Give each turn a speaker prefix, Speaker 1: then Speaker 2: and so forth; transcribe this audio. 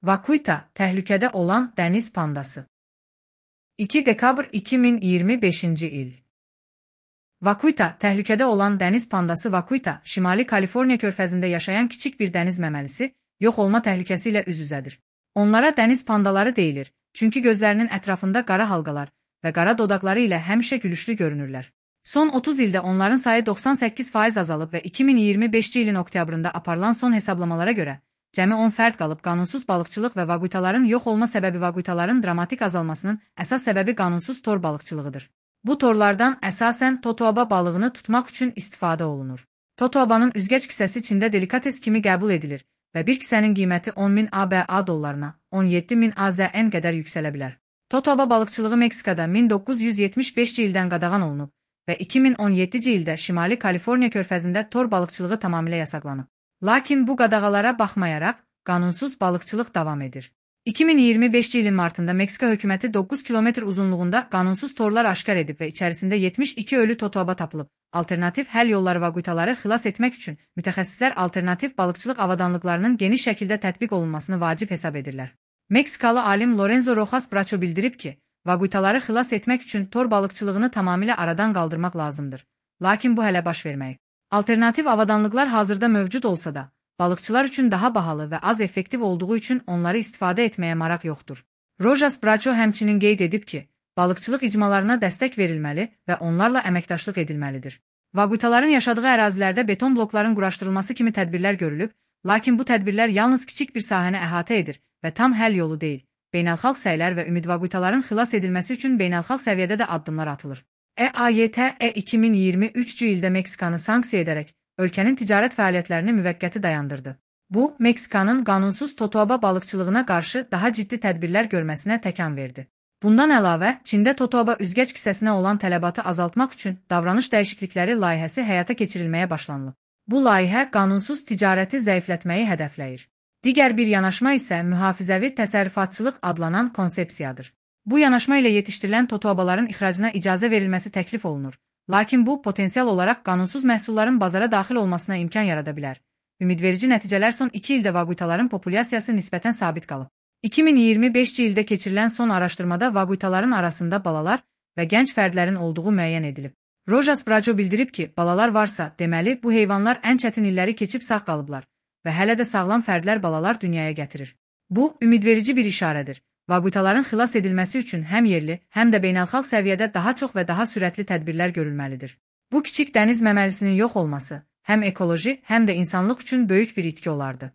Speaker 1: Vaquita, təhlükədə olan dəniz pandası. 2 dekabr 2025 il. Vaquita, təhlükədə olan dəniz pandası Vaquita, Şimali Kaliforniya körfəzində yaşayan kiçik bir dəniz məməlisi, yox olma təhlükəsi ilə üz-üzədir. Onlara dəniz pandaları deyilir, çünki gözlərinin ətrafında qara halqalar və qara dodaqları ilə həmişə gülüşlü görünürlər. Son 30 ildə onların sayı 98% azalıb və 2025 ilin oktyabrında aparılan son hesablamalara görə, cəmi 10 fərd qalıb. Qanunsuz balıqçılıq və vaquitaların yox olma səbəbi vaquitaların dramatik azalmasının əsas səbəbi qanunsuz tor balıqçılığıdır. Bu torlardan əsasən totoaba balığını tutmaq üçün istifadə olunur. Totoabanın üzgəc kisəsi Çində delikates kimi qəbul edilir və bir kisənin qiyməti 10.000 ABA dollarına, 17.000 AZN qədər yüksələ bilər. Totoaba balıqçılığı Meksikada 1975-ci ildən qadağan olunub və 2017-ci ildə Şimali Kaliforniya körfəzində tor balıqçılığı tamamilə yasaqlanıb. Lakin bu qadağalara baxmayaraq, qanunsuz balıqçılıq davam edir. 2025 ilin martında Meksika hökuməti 9 kilometr uzunluğunda qanunsuz torlar aşkar edib və içərisində 72 ölü totoaba tapılıb. Alternativ həll yolları vaquitaları xilas etmək üçün mütəxəssislər alternativ balıqçılıq avadanlıqlarının geniş şəkildə tətbiq olunmasını vacib hesab edirlər. Meksikalı alim Lorenzo Rojas Bracho bildirib ki, vaquitaları xilas etmək üçün tor balıqçılığını tamamilə aradan qaldırmaq lazımdır. Lakin bu hələ baş verməyib. Alternativ avadanlıqlar hazırda mövcud olsa da, balıqçılar üçün daha bahalı və az effektiv olduğu üçün onları istifadə etməyə maraq yoxdur. Rojas Bracho həmçinin qeyd edib ki, balıqçılıq icmalarına dəstək verilməli və onlarla əməkdaşlıq edilməlidir. Vaquitaların yaşadığı ərazilərdə beton blokların quraşdırılması kimi tədbirlər görülüb, lakin bu tədbirlər yalnız kiçik bir sahəni əhatə edir və tam həll yolu deyil. Beynəlxalq səylər və ümid vaquitaların xilas edilməsi üçün beynəlxalq səviyyədə də addımlar atılır. EAYT 2023-cü ildə Meksikanı sanksiya edərək, ölkənin ticarət fəaliyyətlərini müvəqqəti dayandırdı. Bu, Meksikanın qanunsuz totoaba balıqçılığına qarşı daha ciddi tədbirlər görməsinə təkan verdi. Bundan əlavə, Çində totoaba üzgəc kisəsinə olan tələbatı azaltmaq üçün davranış dəyişiklikləri layihəsi həyata keçirilməyə başlanılıb. Bu layihə qanunsuz ticarəti zəiflətməyi hədəfləyir. Digər bir yanaşma isə mühafizəvi təsərrüfatçılıq adlanan konsepsiyadır. Bu yanaşma ilə yetişdirilən totoabaların ixracına icazə verilməsi təklif olunur. Lakin bu, potensial olaraq qanunsuz məhsulların bazara daxil olmasına imkan yarada bilər. Ümidverici nəticələr son 2 ildə vaquitaların populyasiyası nisbətən sabit qalıb. 2025-ci ildə keçirilən son araşdırmada vaquitaların arasında balalar və gənc fərdlərin olduğu müəyyən edilib. Rojas Bracho bildirib ki, balalar varsa, deməli, bu heyvanlar ən çətin illəri keçib sağ qalıblar və hələ də sağlam fərdlər balalar dünyaya gətirir. Bu, ümidverici bir işarədir. Vaquitaların xilas edilməsi üçün həm yerli, həm də beynəlxalq səviyyədə daha çox və daha sürətli tədbirlər görülməlidir. Bu kiçik dəniz məməlisinin yox olması, həm ekoloji, həm də insanlıq üçün böyük bir itki olardı.